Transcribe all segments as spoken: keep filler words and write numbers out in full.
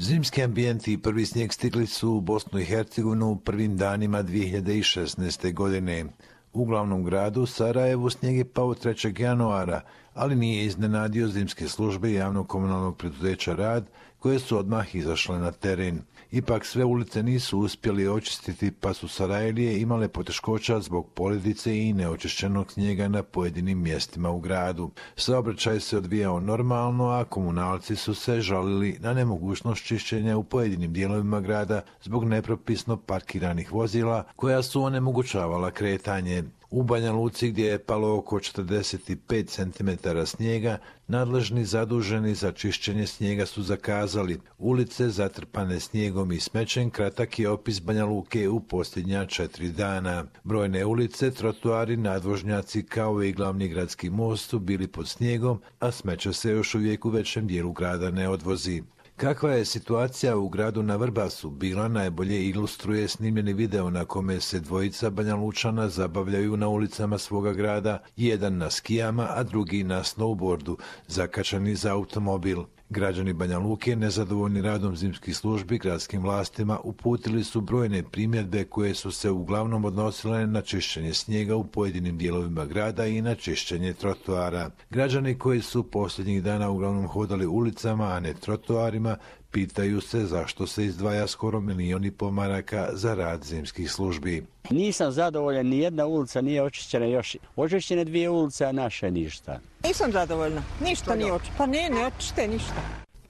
Zimski ambijenti i prvi snijeg stigli su u Bosnu i Hercegovinu u prvim danima dvije hiljade šesnaeste. godine. U glavnom gradu Sarajevu snijeg je pao trećeg januara, ali nije iznenadio zimske službe javnog komunalnog preduzeća Rad, koje su odmah izašle na teren. Ipak sve ulice nisu uspjeli očistiti, pa su Sarajlije imale poteškoća zbog poledice i neočišćenog snijega na pojedinim mjestima u gradu. Saobraćaj se odvijao normalno, a komunalci su se žalili na nemogućnost čišćenja u pojedinim dijelovima grada zbog nepropisno parkiranih vozila koja su onemogućavala kretanje. U Banja Luci, gdje je palo oko četrdeset pet centimetara snijega, nadležni zaduženi za čišćenje snijega su zakazali ulice zatrpane snijegom i smećem. Kratak je opis Banja Luke u posljednja četiri dana. Brojne ulice, trotoari, nadvožnjaci kao i glavni gradski most su bili pod snijegom, a smeće se još uvijek u većem dijelu grada ne odvozi. Kakva je situacija u gradu na Vrbasu bila najbolje ilustruje snimljeni video na kome se dvojica Banja Lučana zabavljaju na ulicama svoga grada, jedan na skijama, a drugi na snowboardu, zakačani za automobil. Građani Banja Luke, nezadovoljni radom zimskih službi gradskim vlastima, uputili su brojne primjedbe koje su se uglavnom odnosile na čišćenje snijega u pojedinim dijelovima grada i na čišćenje trotoara. Građani koji su posljednjih dana uglavnom hodali ulicama, a ne trotoarima, pitaju se zašto se izdvaja skoro milijon i pol maraka za rad zimskih službi. Nisam zadovoljan, ni jedna ulica nije očišćena još. Očišćene dvije ulice, a naše ništa. Nisam zadovoljna, ništa nije očišćeno. Pa ne, ne očište ništa.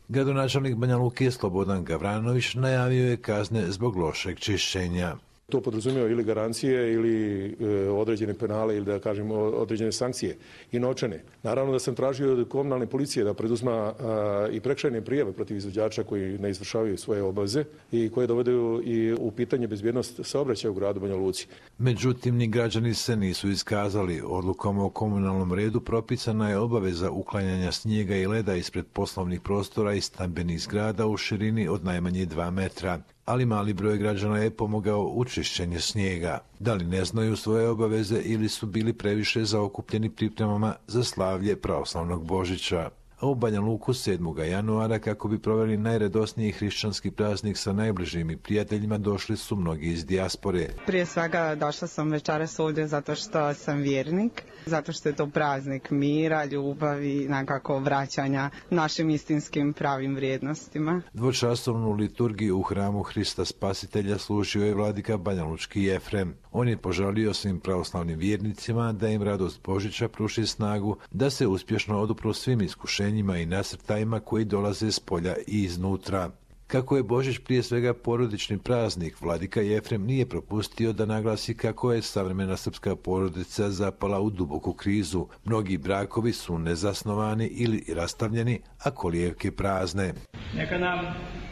Gradonačelnik Banja Luke Slobodan Gavranović najavio je kazne zbog lošeg čišćenja. To podrazumijeva ili garancije ili e, određene penale ili da kažemo određene sankcije i novčane. Naravno da sam tražio od komunalne policije da preduzma a, i prekršajne prijave protiv izvođača koji ne izvršavaju svoje obaveze i koje dovedu i u pitanje bezbjednost saobraćaja u gradu Banja Luci. Međutim, ni građani se nisu iskazali. Odlukom o komunalnom redu propisana je obaveza uklanjanja snijega i leda ispred poslovnih prostora i stambenih zgrada u širini od najmanje dva metra. Ali mali broj građana je pomogao u čišćenju snijega. Da li ne znaju svoje obaveze ili su bili previše zaokupljeni pripremama za slavlje pravoslavnog Božića. A u Banja Luku sedmog januara, kako bi proveli najredosniji hrišćanski praznik sa najbližim i prijateljima, došli su mnogi iz dijaspore. Prije svega došla sam večeras ovdje zato što sam vjernik, zato što je to praznik mira, ljubavi, nekako vraćanja našim istinskim pravim vrijednostima. Dvočasovnu liturgiju u hramu Hrista Spasitelja služio je vladika banjalučki Jefrem. On je požalio svim pravoslavnim vjernicima da im radost Božića pruži snagu, da se uspješno odupru svim iskušenjima i nasrtajima koji dolaze s polja i iznutra. Kako je Božić prije svega porodični praznik, vladika Jefrem nije propustio da naglasi kako je savremena srpska porodica zapala u duboku krizu. Mnogi brakovi su nezasnovani ili rastavljeni, a kolijevke prazne. Neka nam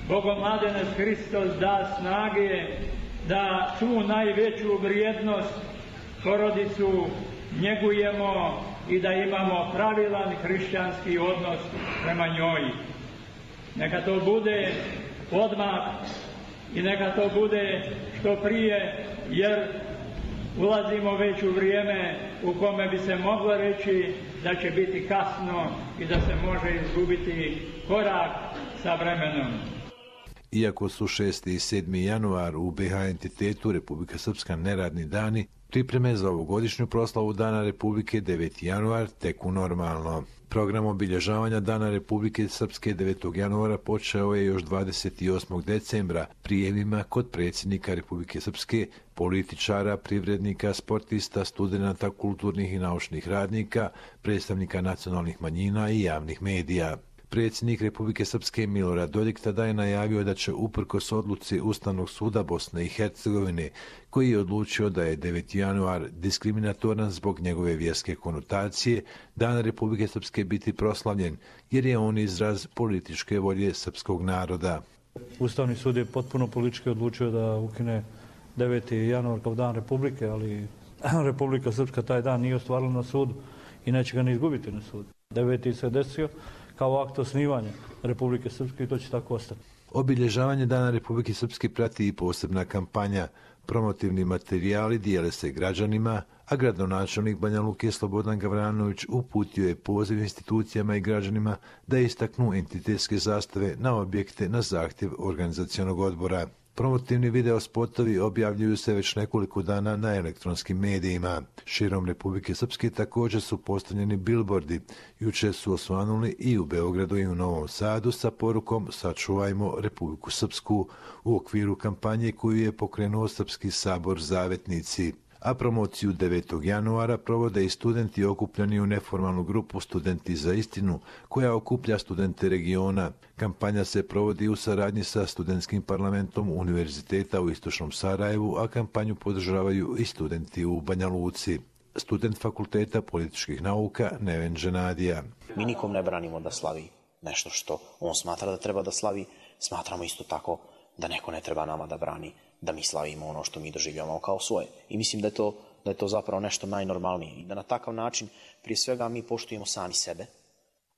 Bogomladenac Hristos da snage da tu najveću vrijednost porodicu njegujemo i da imamo pravilan hrišćanski odnos prema njoj. Neka to bude odmah i neka to bude što prije, jer ulazimo već u vrijeme u kome bi se moglo reći da će biti kasno i da se može izgubiti korak sa vremenom. Iako su šesti i sedmi januar u be ha entitetu Republika Srpska neradni dani, pripreme za ovogodišnju proslavu Dana Republike deveti januar teku normalno. Program obilježavanja Dana Republike Srpske devetog januara počeo je još dvadeset osmog decembra prijemima kod predsjednika Republike Srpske, političara, privrednika, sportista, studenata, kulturnih i naučnih radnika, predstavnika nacionalnih manjina i javnih medija. Predsjednik Republike Srpske Milorad Dodik tada je najavio da će uprkos odluci Ustavnog suda Bosne i Hercegovine, koji je odlučio da je deveti januar diskriminatoran zbog njegove vjerske konotacije, Dan Republike Srpske biti proslavljen, jer je on izraz političke volje srpskog naroda. Ustavni sud je potpuno politički odlučio da ukine deveti januar kao Dan Republike, ali Republika Srpska taj dan nije ostvarila na sudu i neće ga ni izgubiti na sudu. deveti se desio kao akt osnivanja Republike Srpske i to će tako ostati. Obilježavanje Dana Republike Srpske prati i posebna kampanja. Promotivni materijali dijele se građanima, a gradonačelnik Banja Luke Slobodan Gavranović uputio je poziv institucijama i građanima da istaknu entitetske zastave na objekte na zahtjev organizacionog odbora. Promotivni video spotovi objavljuju se već nekoliko dana na elektronskim medijima. Širom Republike Srpske također su postavljeni bilbordi. Jučer su osvanuli i u Beogradu i u Novom Sadu sa porukom Sačuvajmo Republiku Srpsku u okviru kampanje koju je pokrenuo Srpski sabor Zavetnici. A promociju devetog januara provode i studenti okupljeni u neformalnu grupu Studenti za istinu, koja okuplja studente regiona. Kampanja se provodi u saradnji sa studentskim parlamentom Univerziteta u Istočnom Sarajevu, a kampanju podržavaju i studenti u Banja Luci. Student Fakulteta političkih nauka Neven Dženadija. Mi nikom ne branimo da slavi nešto što on smatra da treba da slavi. Smatramo isto tako da neko ne treba nama da brani da mi slavimo ono što mi doživljavamo kao svoje. I mislim da je to, da je to zapravo nešto najnormalnije. I da na takav način, prije svega, mi poštujemo sami sebe,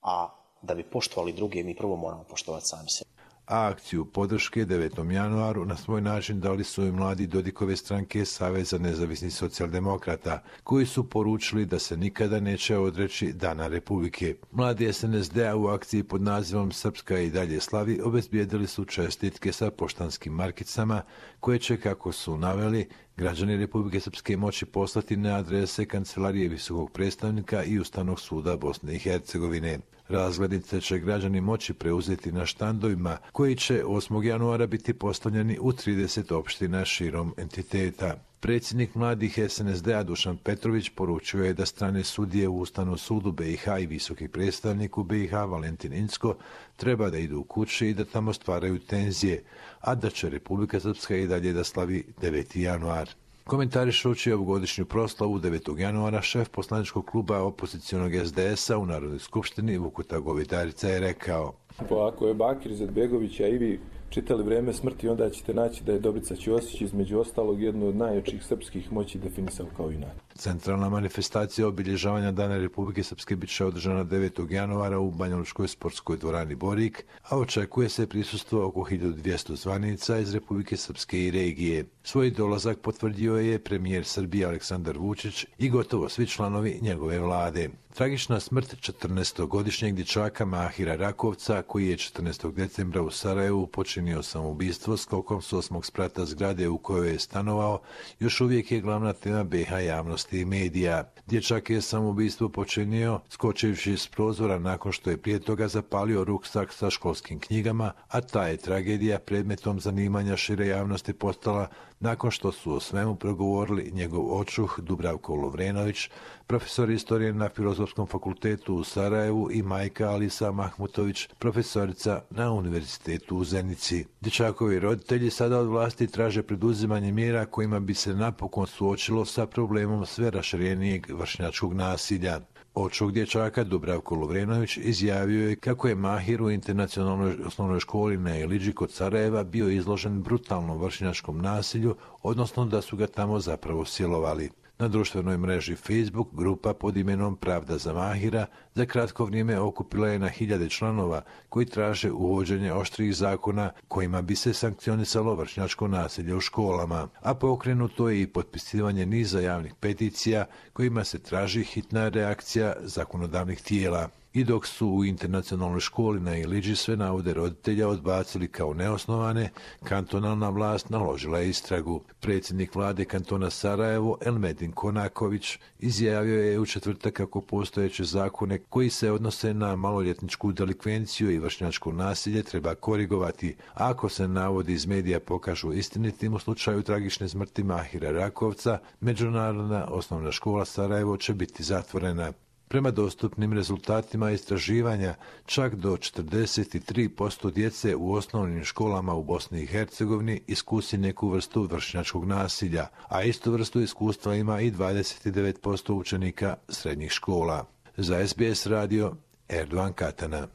a da bi poštovali druge, mi prvo moramo poštovati sami sebe. A akciju podrške devetom januaru na svoj način dali su i mladi Dodikove stranke Saveza nezavisnih socijaldemokrata, koji su poručili da se nikada neće odreći Dana Republike. Mladi es en es de a u akciji pod nazivom Srpska i dalje slavi obezbijedili su čestitke sa poštanskim markicama, koje će, kako su naveli, građani Republike Srpske moći poslati na adrese Kancelarije visokog predstavnika i Ustavnog suda Bosne i Hercegovine. Razglednice će građani moći preuzeti na štandovima koji će osmog januara biti postavljeni u trideset opština širom entiteta. Predsjednik mladih es en es de a Dušan Petrović poručio je da strane sudije u Ustavnom sudu be i ha i visoki predstavnik u be i ha Valentin Incko treba da idu u kući i da tamo stvaraju tenzije, a da će Republika Srpska i dalje da slavi deveti januar. Komentarišući ovogodišnju proslavu devetog januara, šef poslaničkog kluba opozicionog es de es a u Narodnoj skupštini Vukuta Govedarica je rekao: Pa ako je Bakir Izetbegović, a i vi čitali Vrijeme smrti, onda ćete naći da je Dobrica Ćosić između ostalog jednu od najjačih srpskih moći definisao kao junak. Centralna manifestacija obilježavanja Dana Republike Srpske bit će održana devetog januara u Banjalučkoj sportskoj dvorani Borik, a očekuje se prisustvo oko hiljadu dvjesto zvanica iz Republike Srpske i regije. Svoj dolazak potvrdio je premijer Srbije Aleksandar Vučić i gotovo svi članovi njegove vlade. Tragična smrt četrnaestogodišnjeg dječaka Mahira Rakovca, koji je četrnaestog decembra u Sarajevu počinio samoubistvo skokom s osmog sprata zgrade u kojoj je stanovao, još uvijek je glavna tema be i ha javnosti i medija. Dječak je samoubistvo počinio skočivši s prozora nakon što je prije toga zapalio ruksak sa školskim knjigama, a ta je tragedija predmetom zanimanja šire javnosti postala nakon što su o svemu progovorili njegov očuh Dubravko Lovrenović, profesor istorije na Filozofskom fakultetu u Sarajevu, i majka Alisa Mahmutović, profesorica na Univerzitetu u Zenici. Dječakovi roditelji sada od vlasti traže preduzimanje mjera kojima bi se napokon suočilo sa problemom sve raširenijeg vršnjačkog nasilja. Očuh dječaka Dubravko Lovrenović izjavio je kako je Mahir u internacionalnoj osnovnoj školi na Eliđi kod Sarajeva bio izložen brutalnom vršnjačkom nasilju, odnosno da su ga tamo zapravo silovali. Na društvenoj mreži Facebook grupa pod imenom Pravda za Mahira za kratko vrijeme okupila je na hiljade članova koji traže uvođenje oštrih zakona kojima bi se sankcionisalo vršnjačko nasilje u školama, a pokrenuto je i potpisivanje niza javnih peticija kojima se traži hitna reakcija zakonodavnih tijela. I dok su u internacionalnoj školi na Iliđi sve navode roditelja odbacili kao neosnovane, kantonalna vlast naložila je istragu. Predsjednik vlade kantona Sarajevo Elmedin Konaković izjavio je u četvrtak kako postojeće zakone koji se odnose na maloljetničku delikvenciju i vršnjačko nasilje treba korigovati, a ako se navodi iz medija pokažu istinitim u slučaju tragične smrti Mahira Rakovca, Međunarodna osnovna škola Sarajevo će biti zatvorena. Prema dostupnim rezultatima istraživanja, čak do četrdeset tri posto djece u osnovnim školama u Bosni i Hercegovini iskusi neku vrstu vršnjačkog nasilja, a istu vrstu iskustva ima i dvadeset devet posto učenika srednjih škola. Za es be es radio, Erdogan Katana.